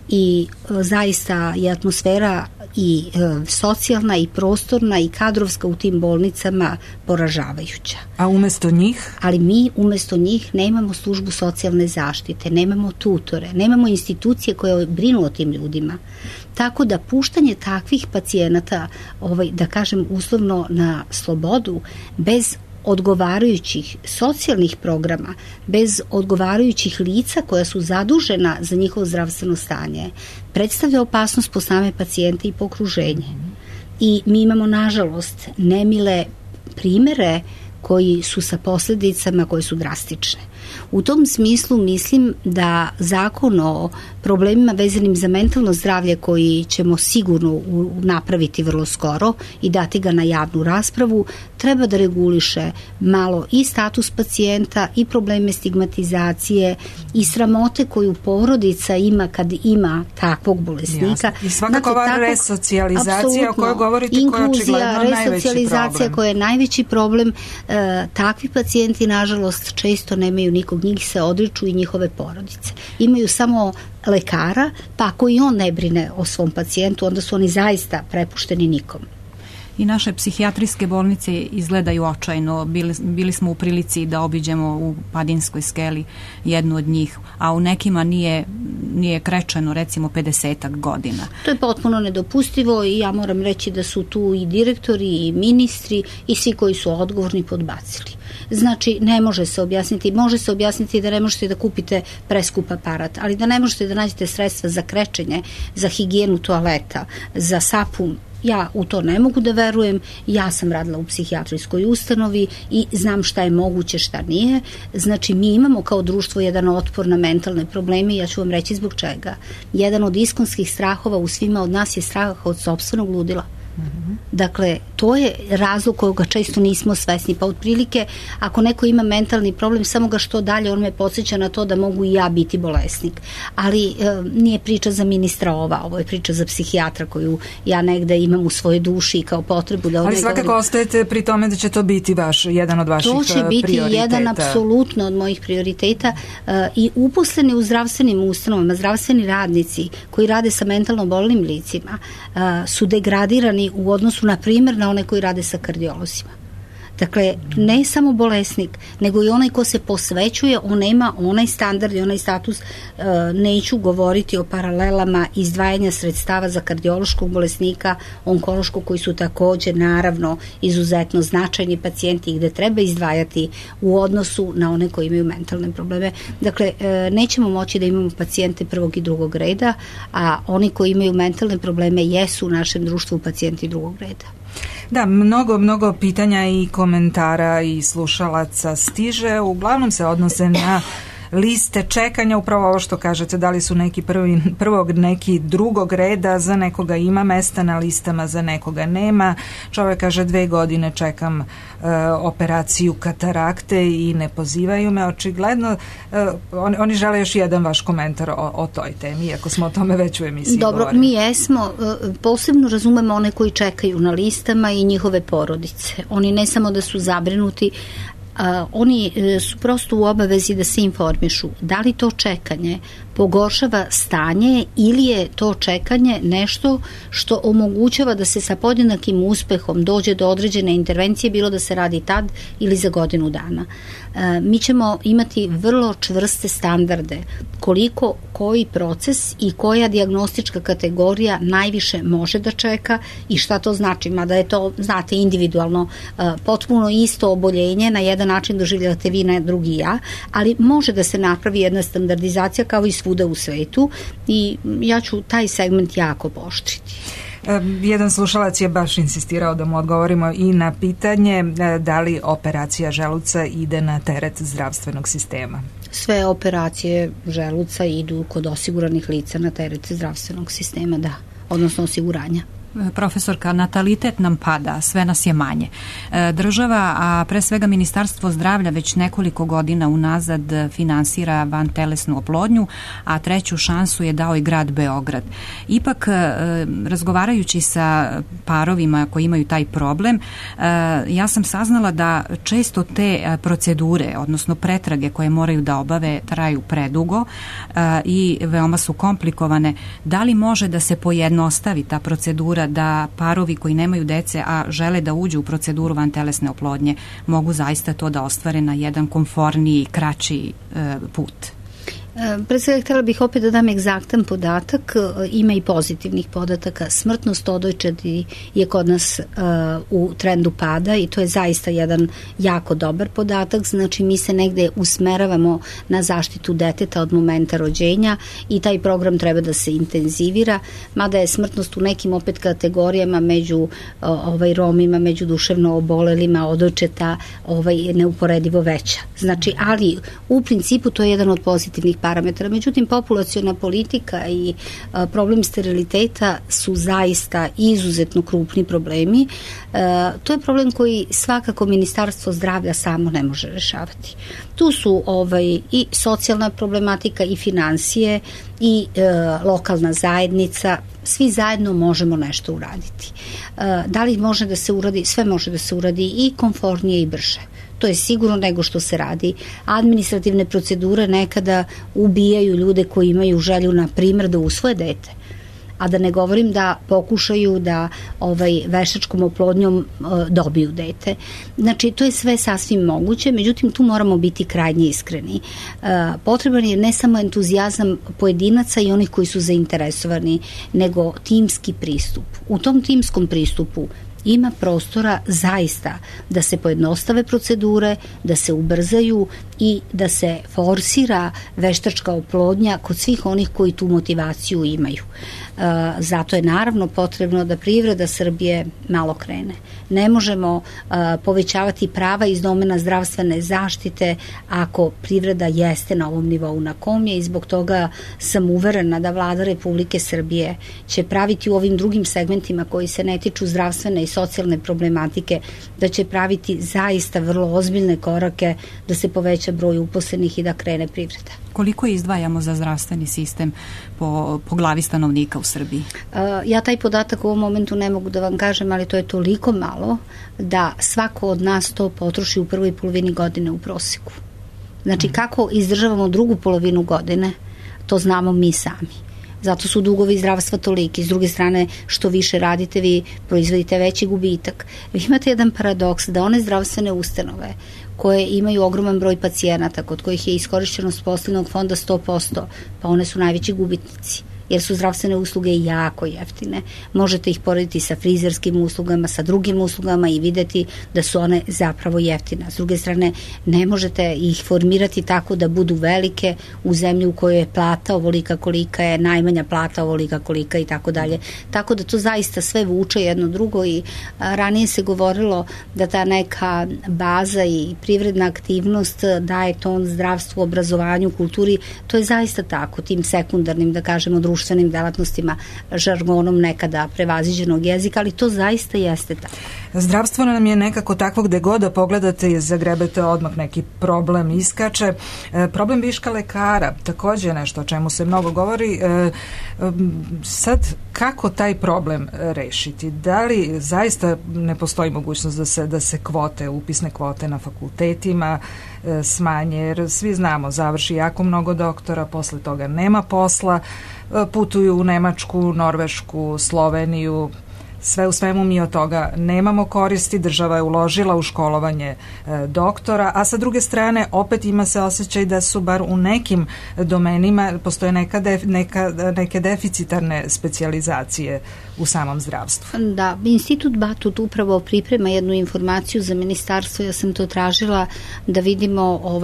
I zaista je atmosfera i socijalna i prostorna i kadrovska u tim bolnicama poražavajuća. A umesto njih? Ali mi umesto njih nemamo službu socijalne zaštite, nemamo tutore, nemamo institucije koje brinu o tim ljudima. Tako da puštanje takvih pacijenata, da kažem uslovno na slobodu, bez odgovarajućih socijalnih programa, bez odgovarajućih lica koja su zadužena za njihovo zdravstveno stanje, predstavlja opasnost po same pacijente i po okruženje. I mi imamo, nažalost, nemile primere koji su sa posljedicama koje su drastične. U tom smislu mislim da zakon o problemima vezanim za mentalno zdravlje koji ćemo sigurno napraviti vrlo skoro i dati ga na javnu raspravu, treba da reguliše malo i status pacijenta i probleme stigmatizacije i sramote koju porodica ima kad ima takvog bolesnika. Jasne. I svakako ova resocijalizacija o kojoj govorite, koja je očigledno najveći resocijalizacija koja je najveći problem. Takvi pacijenti nažalost često nemaju nikog, njih se odriču i njihove porodice. Imaju samo lekara, pa ako i on ne brine o svom pacijentu, onda su oni zaista prepušteni nikom. I naše psihijatrijske bolnice izgledaju očajno. Bili smo u prilici da obiđemo u Padinskoj skeli jednu od njih, a u nekima nije krečeno recimo 50 godina. To je potpuno nedopustivo i ja moram reći da su tu i direktori i ministri i svi koji su odgovorni podbacili. Znači, ne može se objasniti, može se objasniti da ne možete da kupite preskup aparat, ali da ne možete da nađete sredstva za krečenje, za higijenu toaleta, za sapun. Ja u to ne mogu da verujem, ja sam radila u psihijatrijskoj ustanovi i znam šta je moguće, šta nije. Znači, mi imamo kao društvo jedan otpor na mentalne probleme i ja ću vam reći zbog čega. Jedan od iskonskih strahova u svima od nas je strah od sopstvenog ludila. Dakle, to je razlog koga često nismo svesni, pa otprilike ako neko ima mentalni problem, samo ga što dalje on me podsjeća na to da mogu i ja biti bolesnik, ali nije priča za ministra ovo je priča za psihijatra koju ja negde imam u svojoj duši i kao potrebu da ali svakako ostajete pri tome da će to biti jedan od vaših prioriteta. To će biti jedan apsolutno od mojih prioriteta i uposleni u zdravstvenim ustanovama, zdravstveni radnici koji rade sa mentalno bolnim licima su degradirani u odnosu, na primjer, na one koji rade sa kardiolozima. Dakle, ne samo bolesnik, nego i onaj ko se posvećuje, on nema onaj standard i onaj status. Neću govoriti o paralelama izdvajanja sredstava za kardiološkog bolesnika, onkološkog, koji su također naravno izuzetno značajni pacijenti i gde treba izdvajati u odnosu na one koji imaju mentalne probleme. Dakle, nećemo moći da imamo pacijente prvog i drugog reda, a oni koji imaju mentalne probleme jesu u našem društvu pacijenti drugog reda. Da, mnogo pitanja i komentara i slušalaca stiže, uglavnom se odnose na liste čekanja, upravo ovo što kažete, da li su neki prvog, neki drugog reda, za nekoga ima mesta na listama, za nekoga nema. Čovjek kaže 2 godine čekam operaciju katarakte i ne pozivaju me, očigledno oni žele još jedan vaš komentar o toj temi, iako smo o tome već u emisiji govorili. Dobro, mi jesmo, posebno razumemo one koji čekaju na listama i njihove porodice. Oni ne samo da su zabrinuti, oni su prosto u obavezi da se informišu da li to čekanje pogoršava stanje ili je to čekanje nešto što omogućava da se sa podjednakim uspehom dođe do određene intervencije, bilo da se radi tad ili za godinu dana. Mi ćemo imati vrlo čvrste standarde koliko koji proces i koja dijagnostička kategorija najviše može da čeka i šta to znači, mada je to, znate, individualno, potpuno isto oboljenje, na jedan način doživljavate vi, na drugi ja, ali može da se napravi jedna standardizacija kao i svuda u svetu i ja ću taj segment jako pooštriti. Jedan slušalac je baš insistirao da mu odgovorimo i na pitanje da li operacija želuca ide na teret zdravstvenog sistema. Sve operacije želuca idu kod osiguranih lica na teret zdravstvenog sistema, da, odnosno osiguranja. Profesorka, natalitet nam pada, sve nas je manje. Država, a pre svega Ministarstvo zdravlja već nekoliko godina unazad finansira vantelesnu oplodnju, a treću šansu je dao i grad Beograd. Ipak, razgovarajući sa parovima koji imaju taj problem, ja sam saznala da često te procedure, odnosno pretrage koje moraju da obave, traju predugo i veoma su komplikovane. Da li može da se pojednostavi ta procedura, da parovi koji nemaju dece, a žele da uđu u proceduru vantelesne oplodnje, mogu zaista to da ostvare na jedan komforniji, kraći put? Pre svega htjela bih opet da dam egzaktan podatak, ima i pozitivnih podataka. Smrtnost odojčadi je kod nas u trendu pada i to je zaista jedan jako dobar podatak, znači mi se negde usmeravamo na zaštitu deteta od momenta rođenja i taj program treba da se intenzivira, mada je smrtnost u nekim opet kategorijama među Romima, među duševno obolelima odojčeta neuporedivo veća. Znači, ali u principu to je jedan od pozitivnih parametara. Međutim, populaciona politika i problem steriliteta su zaista izuzetno krupni problemi. To je problem koji svakako Ministarstvo zdravlja samo ne može rešavati. Tu su i socijalna problematika i finansije i lokalna zajednica, svi zajedno možemo nešto uraditi. Da li može da se uradi? Sve može da se uradi i komfornije i brže. To je sigurno nego što se radi. Administrativne procedure nekada ubijaju ljude koji imaju želju, na primjer, da usvoje dete. A da ne govorim da pokušaju da veštačkom oplodnjom dobiju dete. Znači, to je sve sasvim moguće, međutim, tu moramo biti krajnje iskreni. Potreban je ne samo entuzijazam pojedinaca i onih koji su zainteresovani, nego timski pristup. U tom timskom pristupu ima prostora zaista da se pojednostave procedure, da se ubrzaju i da se forsira veštačka oplodnja kod svih onih koji tu motivaciju imaju. Zato je naravno potrebno da privreda Srbije malo krene. Ne možemo povećavati prava iz domena zdravstvene zaštite ako privreda jeste na ovom nivou na kom je i zbog toga sam uverena da Vlada Republike Srbije će praviti u ovim drugim segmentima koji se ne tiču zdravstvene i socijalne problematike, da će praviti zaista vrlo ozbiljne korake da se poveća broj uposlenih i da krene privreda. Koliko izdvajamo za zdravstveni sistem po glavi stanovnika u Srbiji? Ja taj podatak u ovom momentu ne mogu da vam kažem, ali to je toliko malo da svako od nas to potroši u prvoj polovini godine u proseku. Znači, kako izdržavamo drugu polovinu godine, to znamo mi sami. Zato su dugovi zdravstva toliki. S druge strane, što više radite, vi proizvodite veći gubitak. Vi imate jedan paradoks da one zdravstvene ustanove koje imaju ogroman broj pacijenata, kod kojih je iskorišćenost poslovnog fonda 100%, pa one su najveći gubitnici, jer su zdravstvene usluge jako jeftine. Možete ih porediti sa frizerskim uslugama, sa drugim uslugama i videti da su one zapravo jeftine. S druge strane, ne možete ih formirati tako da budu velike u zemlji u kojoj je plata ovolika kolika je, najmanja plata ovolika kolika i tako dalje. Tako da to zaista sve vuče jedno drugo i ranije se govorilo da ta neka baza i privredna aktivnost daje ton zdravstvu, obrazovanju, kulturi. To je zaista tako, tim sekundarnim, da kažemo, društvenim delatnostima, žargonom nekada prevaziđenog jezika, ali to zaista jeste tako. Zdravstvo nam je nekako takvo gde god da pogledate i zagrebete odmah neki problem iskače. Problem viška lekara, takođe nešto o čemu se mnogo govori. Sad, kako taj problem rešiti? Da li zaista ne postoji mogućnost da se kvote, upisne kvote na fakultetima smanje, jer svi znamo, završi jako mnogo doktora, posle toga nema posla, putuju u Nemačku, Norvešku, Sloveniju, sve u svemu mi od toga nemamo koristi, država je uložila u školovanje doktora, a sa druge strane opet ima se osjećaj da su bar u nekim domenima postoje neke deficitarne specijalizacije u samom zdravstvu. Da, Institut Batut upravo priprema jednu informaciju za ministarstvo, ja sam to tražila da vidimo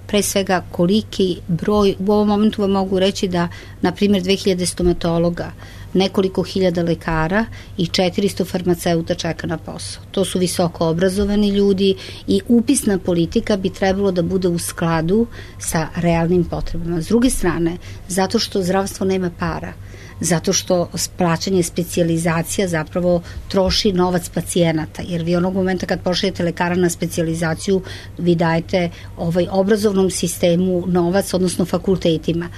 pre svega koliki broj, u ovom momentu vam mogu reći da na primjer 2000 stomatologa, nekoliko hiljada lekara i 400 farmaceuta čeka na posao. To su visoko obrazovani ljudi i upisna politika bi trebalo da bude u skladu sa realnim potrebama. S druge strane, zato što zdravstvo nema para, zato što plaćanje specijalizacija zapravo troši novac pacijenata, jer vi onog momenta kad pošaljete lekara na specijalizaciju, vi dajete obrazovnom sistemu novac, odnosno fakultetima.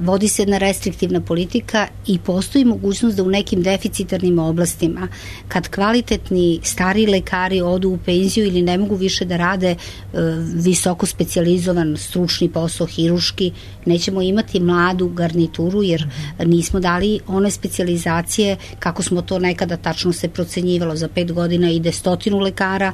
Vodi se jedna restriktivna politika i postoji mogućnost da u nekim deficitarnim oblastima, kad kvalitetni stari lekari odu u penziju ili ne mogu više da rade visoko specijalizovan stručni posao, hiruški, nećemo imati mladu garnituru jer nismo dali one specijalizacije kako smo to nekada tačno se procenjivalo. Za 5 godina ide 100 lekara,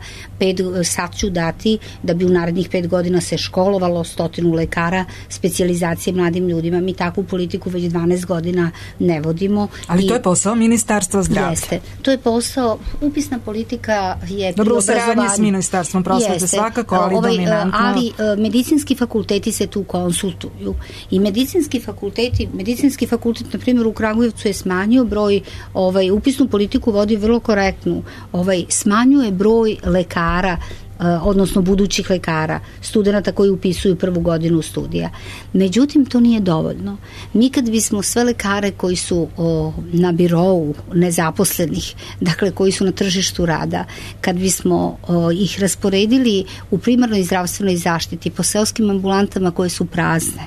sad ću dati da bi u narednih 5 godina se školovalo 100 lekara specijalizacije mladim ljudima. Mi takvu politiku već 12 godina ne vodimo. Ali to je posao Ministarstva zdravlja. Jeste. To je posao, upisna politika je dobro, u saradnji s Ministarstvom prosvete svakako, ali dominantno. Ali medicinski fakulteti se tu konsultuju i medicinski fakultet na primjer u Kragujevcu je smanjio broj, upisnu politiku vodi vrlo korektnu, smanjuje broj lekara, odnosno budućih lekara, studenata koji upisuju prvu godinu studija. Međutim, to nije dovoljno. Mi kad bismo sve lekare koji su na birou nezaposlenih, dakle koji su na tržištu rada, kad bismo ih rasporedili u primarnoj zdravstvenoj zaštiti po seoskim ambulantama koje su prazne,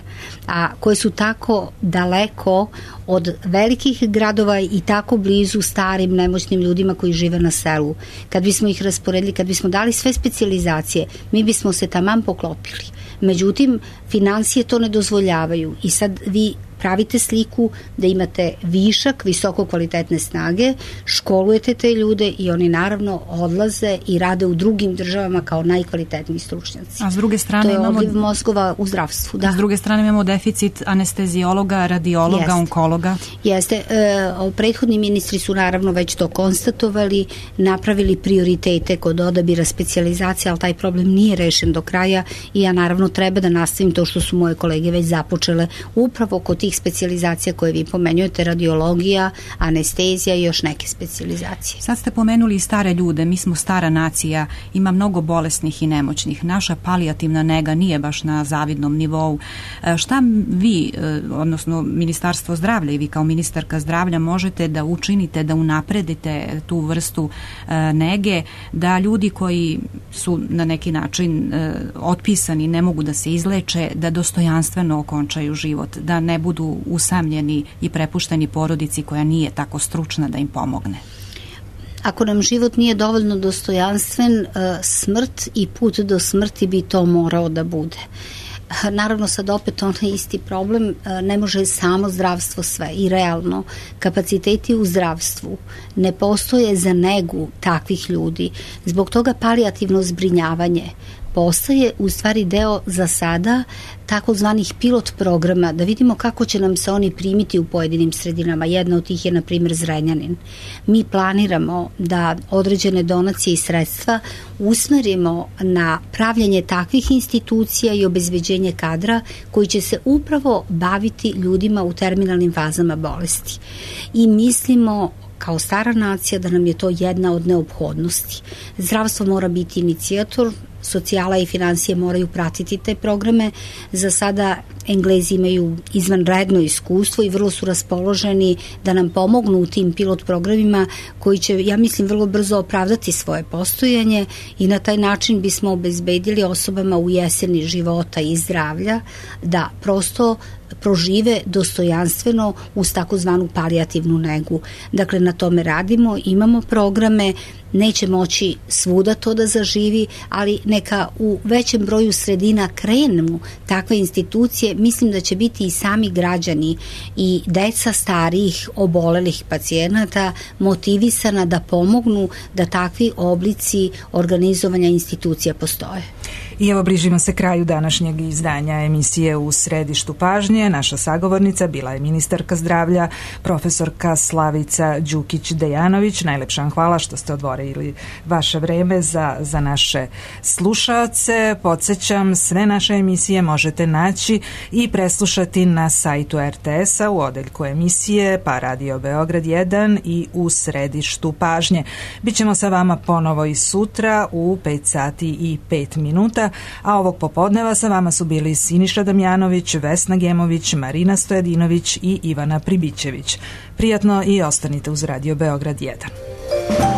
a koje su tako daleko od velikih gradova i tako blizu starim nemoćnim ljudima koji žive na selu, kad bismo ih rasporedili, kad bismo dali sve specijalizacije, mi bismo se taman poklopili. Međutim, financije to ne dozvoljavaju i sad vi pravite sliku da imate višak visoko kvalitetne snage, školujete te ljude i oni naravno odlaze i rade u drugim državama kao najkvalitetniji stručnjaci. A s druge strane to je odliv mozgova u zdravstvu. Da. S druge strane imamo deficit anestezijologa, radiologa, onkologa. Jeste. Prethodni ministri su naravno već to konstatovali, napravili prioritete kod odabira specijalizacije, ali taj problem nije rešen do kraja i ja naravno treba da nastavim to što su moje kolege već započele upravo kod tih specijalizacija koje vi pomenjujete, radiologija, anestezija i još neke specijalizacije. Sad ste pomenuli i stare ljude, mi smo stara nacija, ima mnogo bolesnih i nemoćnih. Naša palijativna nega nije baš na zavidnom nivou. Šta vi, odnosno Ministarstvo zdravlja i vi kao ministarka zdravlja možete da učinite, da unapredite tu vrstu nege, da ljudi koji su na neki način otpisani, ne mogu da se izleče, da dostojanstveno okončaju život, da ne budu usamljeni i prepušteni porodici koja nije tako stručna da im pomogne? Ako nam život nije dovoljno dostojanstven, smrt i put do smrti bi to morao da bude. Naravno sad opet onaj isti problem, ne može samo zdravstvo sve i realno kapaciteti u zdravstvu ne postoje za negu takvih ljudi. Zbog toga palijativno zbrinjavanje postaje u stvari deo za sada takozvanih pilot programa, da vidimo kako će nam se oni primiti u pojedinim sredinama. Jedna od tih je na primjer Zrenjanin. Mi planiramo da određene donacije i sredstva usmerimo na pravljanje takvih institucija i obezbeđenje kadra koji će se upravo baviti ljudima u terminalnim fazama bolesti. I mislimo kao stara nacija da nam je to jedna od neophodnosti. Zdravstvo mora biti inicijator, socijala i financije moraju pratiti te programe. Za sada Englezi imaju izvanredno iskustvo i vrlo su raspoloženi da nam pomognu u tim pilot programima koji će, ja mislim, vrlo brzo opravdati svoje postojanje i na taj način bismo obezbedili osobama u jeseni života i zdravlja da prosto prožive dostojanstveno uz takozvanu palijativnu negu. Dakle, na tome radimo, imamo programe, neće moći svuda to da zaživi, ali neka u većem broju sredina krenu takve institucije, mislim da će biti i sami građani i deca starijih obolelih pacijenata motivisana da pomognu da takvi oblici organizovanja institucija postoje. I evo bližimo se kraju današnjeg izdanja emisije U središtu pažnje. Naša sagovornica bila je ministarka zdravlja, profesorka Slavica Đukić-Dejanović. Najlepša vam hvala što ste odvojili vaše vreme za naše slušaoce. Podsjećam, sve naše emisije možete naći i preslušati na sajtu RTS-a u odeljku emisije pa Radio Beograd 1 i U središtu pažnje. Bićemo sa vama ponovo i sutra u 5 sati i 5 minuta, a ovog popodneva sa vama su bili Siniša Damjanović, Vesna Gemović, Marina Stojadinović i Ivana Pribićević. Prijatno i ostanite uz Radio Beograd 1.